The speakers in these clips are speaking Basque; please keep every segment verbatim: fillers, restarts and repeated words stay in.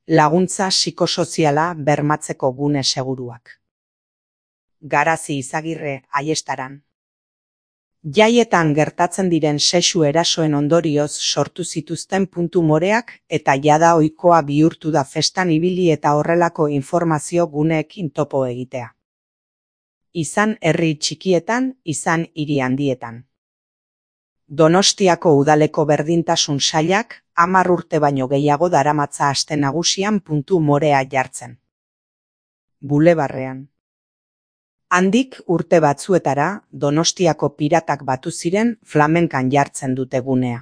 Laguntza psikosoziala bermatzeko gune seguruak. Garazi Izagirre, Aiestaran. Jaietan gertatzen diren sexu erasoen ondorioz sortu zituzten puntu moreak eta jada ohikoa bihurtu da festan ibili eta horrelako informazio guneekin topo egitea. Izan herri txikietan, izan hiri handietan. Donostiako udaleko berdintasun sailak hamar urte baino gehiago daramatza aste nagusian puntu morea jartzen. Bulebarrean. Handik urte batzuetara Donostiako piratak batu ziren flamenkan jartzen dute gunea.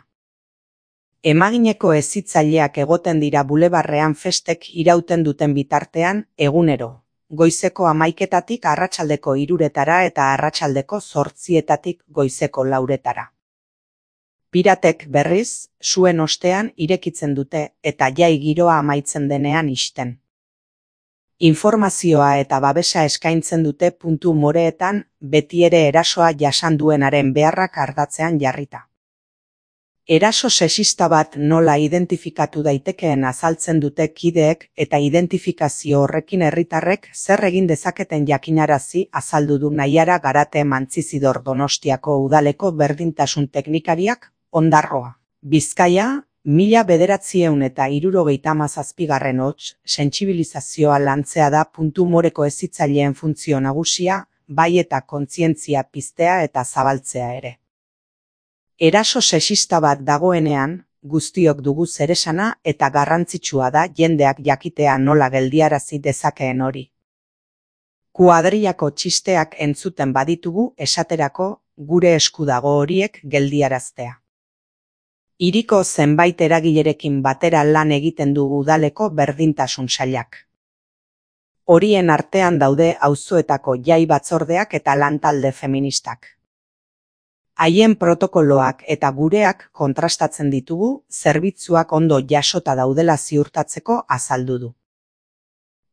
Emagineko hezitzaileak egoten dira bulebarrean festek irauten duten bitartean egunero, goizeko hamaiketatik arratsaldeko hiruretara eta arratsaldeko zortzietatik goizeko lauretara. Piratek berriz, suen ostean irekitzen dute eta jai giroa amaitzen denean ixten. Informazioa eta babesa eskaintzen dute puntu moreetan beti ere erasoa jasan duenaren beharrak ardatzean jarrita. Eraso sexista bat nola identifikatu daitekeen azaltzen dute kideek eta identifikazio horrekin herritarrek zer egin dezaketen jakinarazi azaldu du Naiara Garate Mantzizidor Donostiako udaleko berdintasun teknikariak Ondarroa. Bizkaia, mila bederatziehun eta hirurogeita hamazazpigarren hots, sentsibilizazioa lantzea da puntu moreko hezitzaileen funtzio nagusia, bai eta kontzientzia piztea eta zabaltzea ere. Eraso sexista bat dagoenean, guztiok dugu zeresana eta garrantzitsua da jendeak jakitea nola geldiarazi dezakeen hori. Kuadrillako txisteak entzuten baditugu esaterako gure esku dago horiek geldiaraztea. Hiriko zenbait eragilerekin batera lan egiten dugu udaleko berdintasun sailak. Horien artean daude auzoetako jai batzordeak eta lantalde feministak. Haien protokoloak eta gureak kontrastatzen ditugu, zerbitzuak ondo jasota daudela ziurtatzeko azaldu du.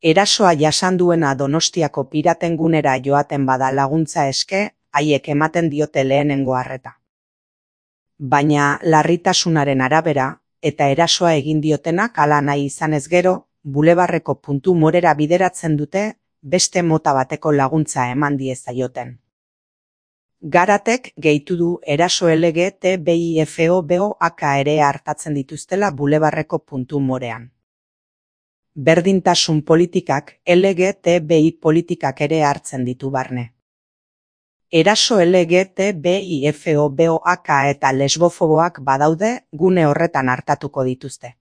Erasoa jasan duena Donostiako piraten gunera joaten bada laguntza eske, haiek ematen diote lehenengo arreta. Baina larritasunaren arabera, eta erasoa egin diotenak hala nahi izanez gero, bulebarreko puntu morera bideratzen dute, beste mota bateko laguntza eman diezaioten. Garatek gehitu du eraso L G T B I F O B O A K ere hartatzen dituztela bulebarreko puntu morean. Berdintasun politikak L G T B I politikak ere hartzen ditu barne. Eraso L G T B I F O B O A K eta lesbofoboak badaude gune horretan hartatuko dituzte.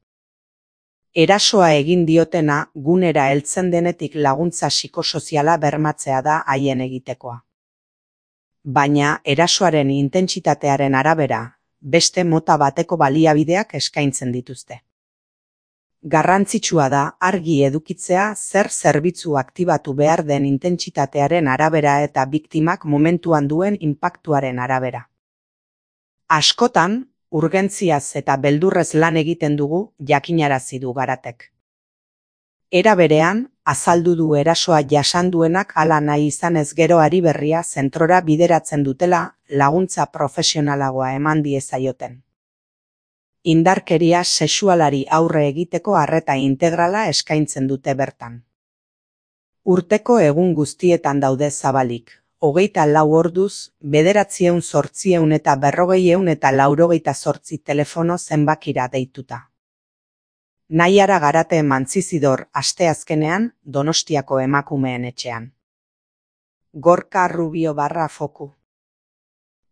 Erasoa egin diotena gunera heltzen denetik laguntza psikosoziala bermatzea da haien egitekoa. Baina erasoaren intentsitatearen arabera, beste mota bateko baliabideak eskaintzen dituzte. Garrantzitsua da argi edukitzea zer zerbitzu aktibatu behar den intentsitatearen arabera eta biktimak momentuan duen inpaktuaren arabera. Askotan, urgentziaz eta beldurrez lan egiten dugu jakinarazi du Garatek. Era berean, azaldu du erasoa jasan duenak hala nahi izanez gero ari berria zentrora bideratzen dutela laguntza profesionalagoa eman diezaioten. Indarkeria sexualari aurre egiteko arreta integrala eskaintzen dute bertan. Urteko egun guztietan daude zabalik, hogeita lau orduz, bederatziehun zortziehun eta berrogeieun eta laurogeita zortzi telefono zenbakira deituta. Naiara Garate Mantzizidor asteazkenean Donostiako emakumeen etxean. Gorka Rubio barra foku.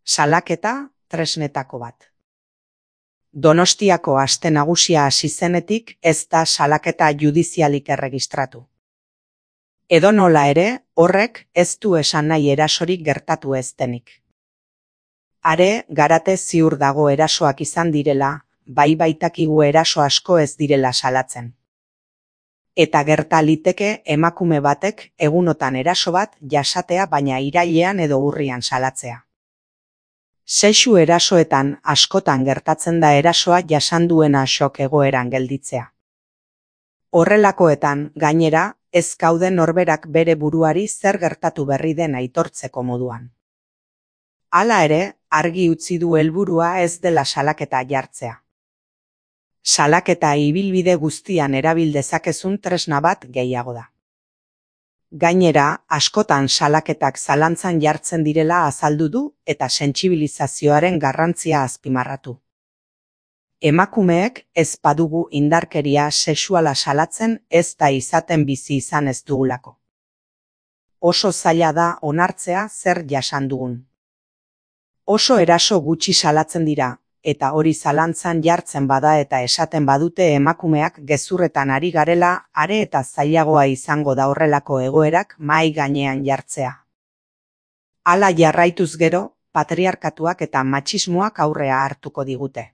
Salaketa tresnetako bat. Donostiako aste nagusia hasi zenetik ez da salaketa judizialik erregistratu. Edonola ere, horrek ez du esan nahi erasorik gertatu ez denik. Are, Garate ziur dago erasoak izan direla, bai baitakigu eraso asko ez direla salatzen. Eta gerta liteke emakume batek egunotan eraso bat jasatea baina irailean edo urrian salatzea. Sexu erasoetan askotan gertatzen da erasoa jasan duena xok egoeran gelditzea. Horrelakoetan, gainera, ez gaude norberak bere buruari zer gertatu berri den aitortzeko moduan. Hala ere, argi utzi du helburua ez dela salaketa jartzea. Salaketa ibilbide guztian erabil dezakezun tresna bat gehiago da. Gainera, askotan salaketak zalantzan jartzen direla azaldu du eta sentsibilizazioaren garrantzia azpimarratu. Emakumeek ez badugu indarkeria sexuala salatzen ez da izaten bizi izan ez dugulako. Oso zaila da onartzea zer jasan dugun. Oso eraso gutxi salatzen dira, eta hori zalantzan jartzen bada eta esaten badute emakumeak gezurretan ari garela, are eta zailagoa izango da horrelako egoerak mahai gainean jartzea. Hala jarraituz gero, patriarkatuak eta matxismoak aurrea hartuko digute.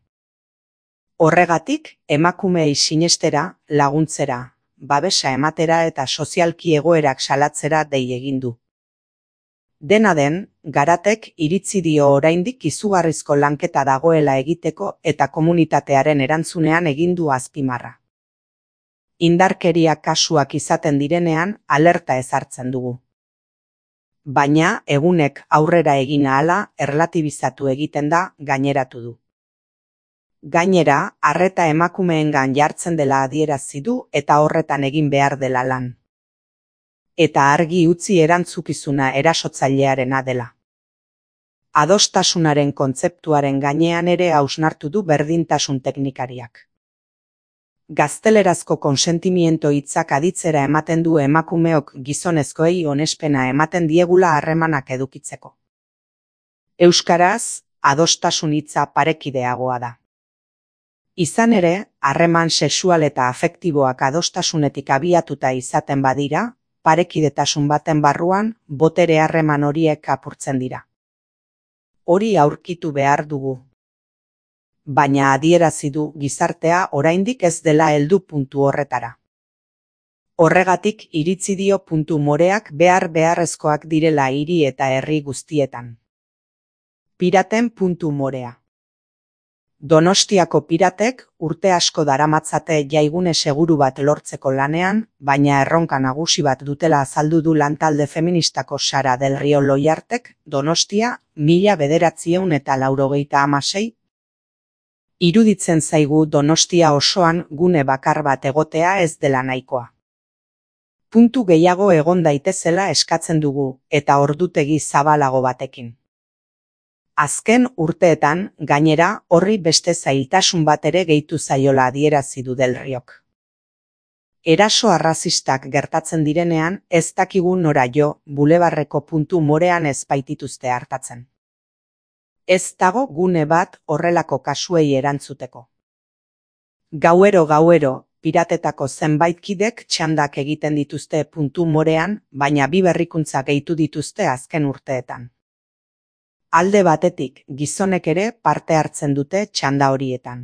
Horregatik, emakumeei sinestera, laguntzera, babesa ematera eta sozialki egoerak salatzera dei egin du. Dena den, Garatek iritzi dio oraindik izugarrizko lanketa dagoela egiteko eta komunitatearen erantzunean egin du azpimarra. Indarkeria kasuak izaten direnean alerta ezartzen dugu. Baina egunek aurrera egin ahala erlatibizatu egiten da gaineratu du. Gainera, arreta emakumeengan jartzen dela adierazi du eta horretan egin behar dela lan. Eta argi utzi erantzukizuna erasotzailearena dela. Adostasunaren kontzeptuaren gainean ere hausnartu du berdintasun teknikariak. Gaztelerazko konsentimiento hitzak aditzera ematen du emakumeok gizonezkoei onespena ematen diegula harremanak edukitzeko. Euskaraz, adostasun hitza parekideagoa da. Izan ere, harreman sexual eta afektiboak adostasunetik abiatuta izaten badira, parekidetasun baten barruan, botere harreman horiek apurtzen dira. Hori aurkitu behar dugu. Baina adierazi du gizartea oraindik ez dela heldu puntu horretara. Horregatik iritzi dio puntu moreak behar beharrezkoak direla hiri eta herri guztietan. Piraten puntu morea. Donostiako piratek urte asko daramatzate jaigune seguru bat lortzeko lanean, baina erronka nagusi bat dutela azaldu du lantalde feministako Sara del Rio Loiartek, Donostia, mila bederatziehun eta laurogeita hamasei. Iruditzen zaigu Donostia osoan gune bakar bat egotea ez dela nahikoa. Puntu gehiago egon daitezela eskatzen dugu, eta ordutegi zabalago batekin. Azken urteetan, gainera, horri beste zailtasun bat ere gehitu zaiola adierazi du Del Riok. Eraso arrazistak gertatzen direnean, ez dakigu nora jo, bulebarreko puntu morean ez baitituzte hartatzen. Ez dago gune bat horrelako kasuei erantzuteko. Gauero gauero, piratetako zenbait kidek txandak egiten dituzte puntu morean, baina bi berrikuntza gehitu dituzte azken urteetan. Alde batetik, gizonek ere parte hartzen dute txanda horietan.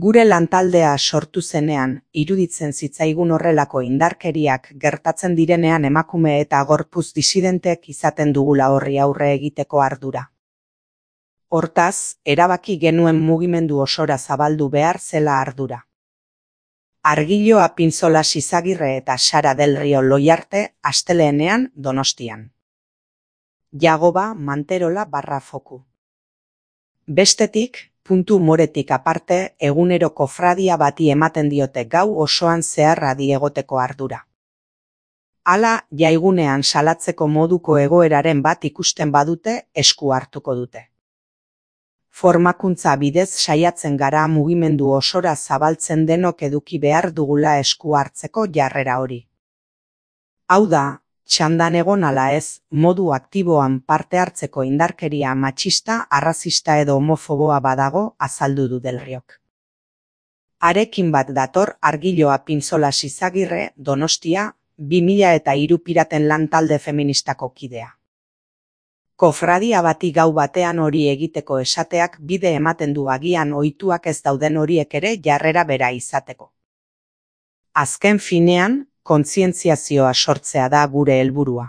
Gure lantaldea sortu zenean, iruditzen zitzaigun horrelako indarkeriak gertatzen direnean emakume eta gorpuz disidentek izaten dugula horri aurre egiteko ardura. Hortaz, erabaki genuen mugimendu osora zabaldu behar zela ardura. Argilo Apintzola Izagirre eta Sara del Rio Loiarte asteleenean Donostian. Jagoba Manterola barra foku. Bestetik, puntu moretik aparte, egunero kofradia bati ematen diote gau osoan zehar adi egoteko ardura. Hala, jaigunean salatzeko moduko egoeraren bat ikusten badute, esku hartuko dute. Formakuntza bidez saiatzen gara mugimendu osora zabaltzen denok eduki behar dugula esku hartzeko jarrera hori. Hau da, txandan egon ala ez, modu aktiboan parte hartzeko indarkeria matxista, arrazista edo homofoboa badago azaldu du Del Riok. Arekin bat dator Argilo Apintzola Izagirre, Donostia, bi mila eta hiru piraten lantalde feministako kidea. Kofradia bati gau batean hori egiteko esateak bide ematen du agian ohituak ez dauden horiek ere jarrera bera izateko. Azken finean, kontzientziazioa sortzea da gure helburua.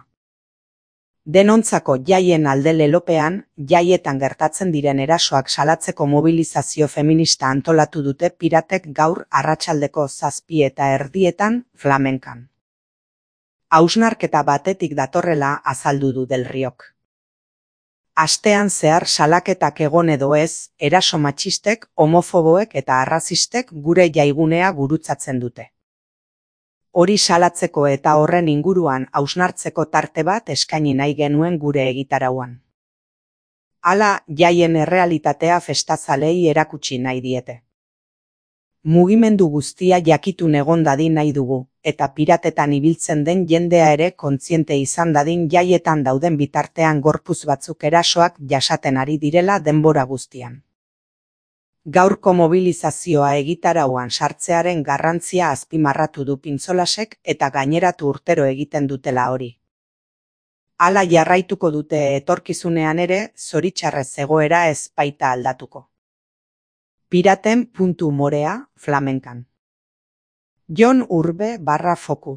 Denontzako jaien alde lelopean, jaietan gertatzen diren erasoak salatzeko mobilizazio feminista antolatu dute piratek gaur arratsaldeko zazpi eta erdietan Flamenkan. Hausnarketa batetik datorrela azaldu du Del Riok. Astean zehar salaketak egon edo ez, eraso matxistek, homofoboek eta arrazistek gure jaigunea gurutzatzen dute. Hori salatzeko eta horren inguruan hausnartzeko tarte bat eskaini nahi genuen gure egitarauan. Hala, jaien errealitatea festazalei erakutsi nahi diete. Mugimendu guztia jakitun egon dadin nahi dugu, eta piratetan ibiltzen den jendea ere kontziente izan dadin jaietan dauden bitartean gorpuz batzuk erasoak jasaten ari direla denbora guztian. Gaurko mobilizazioa egitarauan sartzearen garrantzia azpimarratu du Pintzolasek eta gaineratu urtero egiten dutela hori. Hala jarraituko dute etorkizunean ere, zoritxarrez egoera ez baita aldatuko. Piraten puntu morea flamenkan. Jon Urbe barra foku.